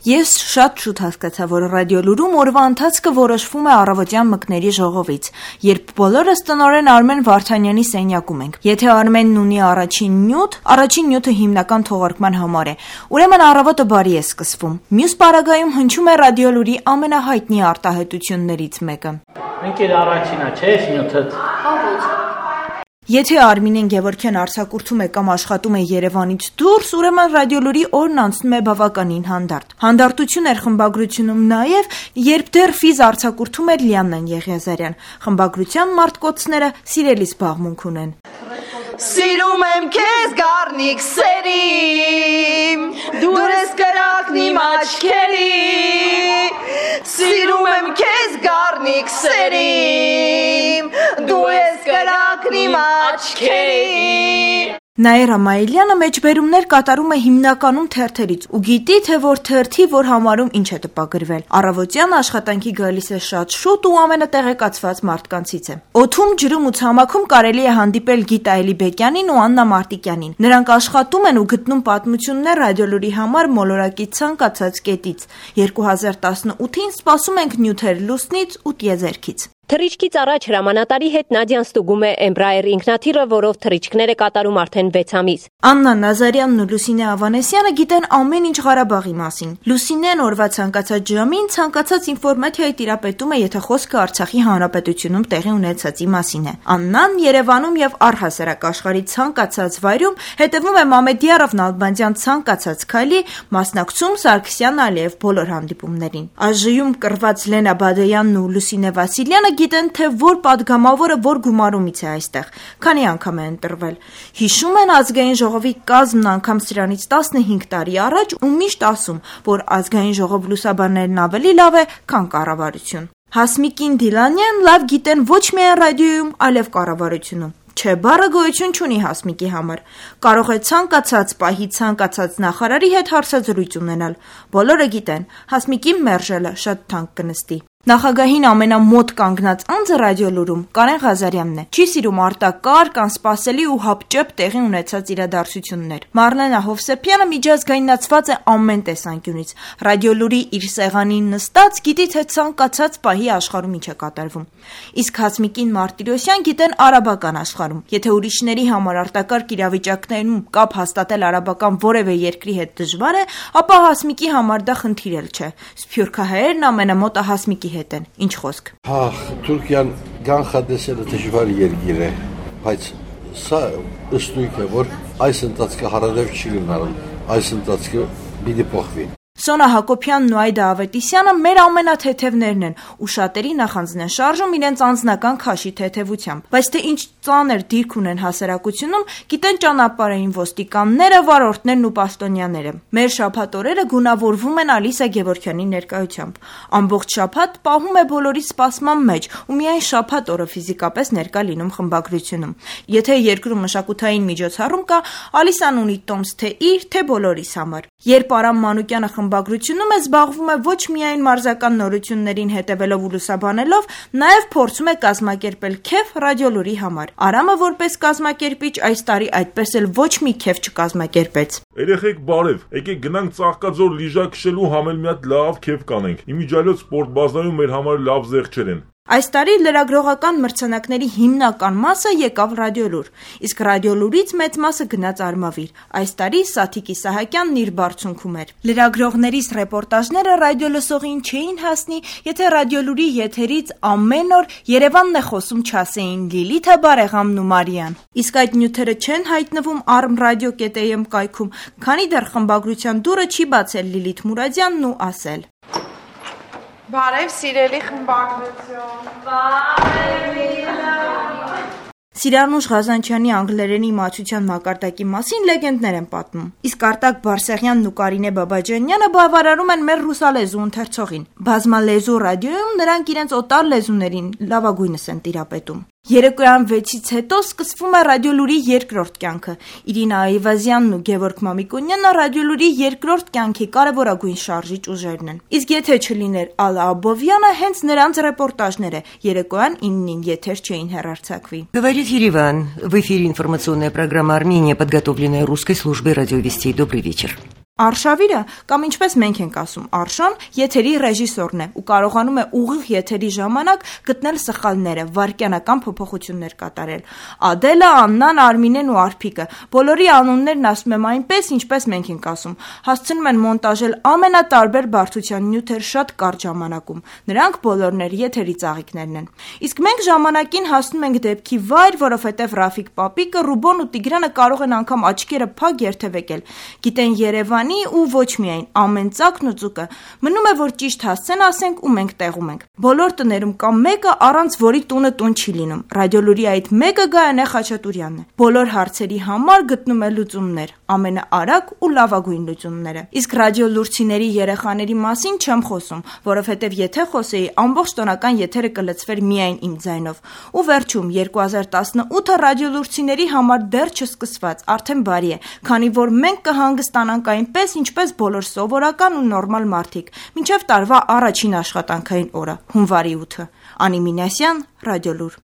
Ես շատ շուտ հասկացա, որ ռադիոլուրում օրվա ընթացքը որոշվում է առավոտյան մկների ժողովից, երբ բոլորս տնօրեն Արմեն Վարդանյանի սենյակում ենք։ Եթե Արմենն ունի առաջին նյութը հիմնական թողարկման համար է, ուրեմն առավոտը բարի է սկսվում։ Մյուս պարագայում հնչում է ռադիոլուրի ամենահայտնի արտահայտություններից մեկը։ Ընկեր առաջինա, չէ՞ նյութը։ Եթե Արմինեն Գևորգյան արձակուրդում է կամ աշխատում է Երևանից դուրս, ուրեմն ռադիոլուրի օրն անցնում է բավականին հանդարտ։ Հանդարտություն էր խմբագրությունում նաև, երբ դեռ ֆիզ արձակուրդում էր Լիաննան Եղիազարյան։ Խմբագրության մարտկոցները սիրելի զբաղմունք ունեն։ Սիրում եմ քեզ գառնիկ սերիմ, դու ես կրակն իմ աչքերի, սիրում եմ քեզ գառնիկ սերիմ, դու ես կրակն իմ աչքերի։ Նաիրա Մայիլյանը մեջբերումներ կատարում է հիմնականում թերթերից ու գիտի, թե որ թերթի որ համարում ինչ է տպագրվել։ Առավոտյան աշխատանքի գալիս է շատ շուտ ու ամենատեղեկացված մարդկանցից է։ Օդում, ջրում ու ցամաքում կարելի է հանդիպել Գիտա Էլիբեկյանին ու Աննա Մարտիկյանին։ Նրանք աշխատում են ու գտնում պատմություններ ռադիոլուրի համար մոլորակի ցանկացած կետից։ 2018-ին սպասում ենք նյութեր լուսնից ու տիեզերքից։ Թռիչքից առաջ հրամանատարի հետ Նադյան ստուգում է Embraer ինքնաթիռը, որով թռիչքներ է կատարում արդեն 6 ամիս։ Աննա Նազարյանն ու Լուսինե Ավանեսյանը գիտեն ամեն ինչ Ղարաբաղի մասին։ Լուսինեն օրվա ցանկացած ժամին ցանկացած ինֆորմացիայի տիրապետում է, եթե խոսքը Արցախի հանրապետությունում տեղի ունեցածի մասին է։ Աննան Երևանում եւ առհասարակ աշխարհի ցանկացած վայրում հետևում է Մամեդիարով Նալբանդյան ցանկացած քայլի, մասնակցում Սարգսյան Ալիև բոլոր հանդիպումներին։ Աժ-ում կռված Լենա Բադոյանն ու Լուսինե Վասիլյանը գիտեն, թե որ падգամավորը որ գումարումից է այստեղ, քանի անգամ է ընտրվել։ Հիշում են ազգային ժողովի կազմն անգամ սրանից 15 տարի առաջ ու միշտ ասում, որ ազգային ժողով լուսաբաններն ավելի լավ է, քան կառավարություն։ Հասմիկին Դիլանյան լավ գիտեն ոչ միայն ռադիոյում, այլև կառավարությունում։ Չէ, բառը գոյություն չունի Հասմիկի համար։ Կարող է ցանկացած պահի ցանկացած նախարարի հետ հարցազրույց ունենալ։ Բոլորը գիտեն, Հասմիկին մերժելը շատ թանկ կնստի։ Նախագահին ամենամոտ կանգնած անձը ռադիոլուրում Կարեն Ղազարյանն է։ Չի սիրում արտակարգ, անսպասելի ու հապճեպ տեղի ունեցած իրադարձություններ։ Մարլենա Հովսեփյանը միջազգայնացված է ամեն տեսանկյունից։ Ռադիոլուրի իր սեղանին նստած գիտի, թե ցանկացած պահի աշխարհում ինչ է կատարվում։ Իսկ Հասմիկին Մարտիրոսյան գիտեն արաբական աշխարհում։ Եթե ուրիշների համար արտակարգ իրավիճակներում կապ հաստատել արաբական որևէ երկրի հետ դժվար է, ապա Հասմիկի համար դա խնդիր էլ չէ։ Սփյուռքահայերն ամենամոտը Հասմիկի հետ են, ինչ խոսք։ Թուրքիան կանխատեսելը դժվար երկիր է, բայց սա ըստույք է, որ այս ընթացքը հարարև չի գնալու, այս ընթացքը պիտի փոխվի։ Սոնա Հակոբյանն ու Այդա Ավետիսյանը մեր ամենաթեթևներն են ու շատերի նախանձն են շարժում իրենց անձնական քաշի թեթևությամբ, բայց թե ինչ ծանր դիրք ունեն հասարակությունում, գիտեն ճանապարհային ոստիկանները, վարորդներն ու պաշտոնյաները։ Մեր շաբաթ օրերը գունավորվում են Ալիսա Գևորգյանի ներկայությամբ։ Ամբողջ շաբաթ պահում է բոլորի սպասման մեջ ու միայն շաբաթ օրը ֆիզիկապես ներկա լինում խմբագրությունում։ Եթե երկրում մշակութային միջոցառում կա, Ալիսան ունի տոմս թե իր, թե բոլորիս համար։ Երբ Արամ Մանուկյանը խմբագրությունում է, զբաղվում է ոչ միայն մարզական նորություններին հետևելով ու լուսաբանելով, նաև փորձում է կազմակերպել քեֆ ռադիոլուրի համար։ Արամը որպես կազմակերպիչ այս տարի այդպես էլ ոչ մի քեֆ չկազմակերպեց։ Երեխեք բարև, եկեք գնանք Ծաղկաձոր լիժա քշելու համել մի հատ լավ քեֆ կանենք։ Իմիջիայլոց սպորտ բազայում մեր համար լավ զեղչեր են։ Այս տարի լրագրողական մրցանակների հիմնական մասը եկավ ռադիոլուր, իսկ ռադիոլուրից մեծ մասը գնաց Արմավիր։ Այս տարի Սաթիկ Իսահակյանն իր բարձունքում էր։ Լրագրողներիս ռեպորտաժները ռադիոլսողին չէին հասնի, եթե ռադիոլուրի եթերից ամեն օր Երևանն է խոսում չասեին Լիլիթը, Բարեգամն ու Մարիան։ Իսկ այդ նյութերը չեն հայտնվում armradio.am կայքում, քանի դեռ խմբագրության դուռը չի բացել Լիլիթ Մուրադյանն ու ասել. Բարև սիրելի խմբագրություն։ Բարև։ Սիրանուշ Ղազանչյանի անգլերենի իմացության մակարդակի մասին լեգենդներ են պատմում։ Իսկ Արտակ Բարսեղյանն ու Կարինե Բաբաջանյանը բավարարում են մեր ռուսալեզու ընթերցողին։ Բազմալեզու ռադիոյում նրանք իրենց օտար լեզուներին լավագույնս են տիրապետում։ Երեկոյան 6-ից հետո սկսվում է ռադիոլուրի երկրորդ կյանքը։ Իրինա Այվազյանն ու Գևորգ Մամիկոնյանը ռադիոլուրի երկրորդ կյանքի կարևորագույն շարժիչ уժերն են։ Իսկ եթե չլիներ Ալա Աբովյանը, հենց նրանց ռեպորտաժները երեկոյան 9-ին եթեր չէին հեռարձակվի։ Говорит Ереван. В эфире информационная программа «Армения», подготовленная русской службой радиовестей. Добрый вечер. Արշավիրը, կամ ինչպես մենք ենք ասում, Արշան, եթերի ռեժիսորն է ու կարողանում է ուղիղ եթերի ժամանակ գտնել սխալները, վայրկյանական փոփոխություններ կատարել։ Ադելը, Աննան, Արմինեն ու Արփիկը, բոլորի անուններն ասում եմ այնպես, ինչպես մենք ենք ասում, հասցնում են մոնտաժել ամենատարբեր բարդության նյութեր շատ կարճ ժամանակում։ Նրանք բոլորն եթերի ծաղիկներն են։ Իսկ մենք ժամանակին հասնում ենք դեպքի վայր, որովհետև Ռաֆիկ Պապիկը, Ռուբոն ու Տիգրանը կարող են անգամ աչքերը փակ երթևեկել։ Գիտեն Երևանի ու ոչ միայն ամեն ծակն ու ծուկը։ Մնում է, որ ճիշտ հասցեն ասենք ու մենք տեղում ենք։ Բոլոր տներում կա մեկը, առանց որի տունը տուն չի լինում։ Ռադիոլուրի այդ մեկը Գայանե Խաչատուրյանն է։ Բոլոր հարցերի համար գտնում է լուծումներ, ամենաարագ ու լավագույն լուծումները։ Իսկ ռադիոլուրցիների երեխաների մասին չեմ խոսում, որովհետև եթե խոսեի, ամբողջ տոնական եթերը կլցվեր միայն իմ ձայնով։ Ու վերջում 2018-ը ռադիոլուրցիների համար դեռ չսկսված, արդեն բարի է, քանի որ մենք կհանգստանանք այնպես, ինչպես բոլոր սովորական ու նորմալ մարդիկ, մինչև տարվա առաջին աշխատանքային օրը, հունվարի 8-ը։ Անի Մինասյան, Ռադիոլուր։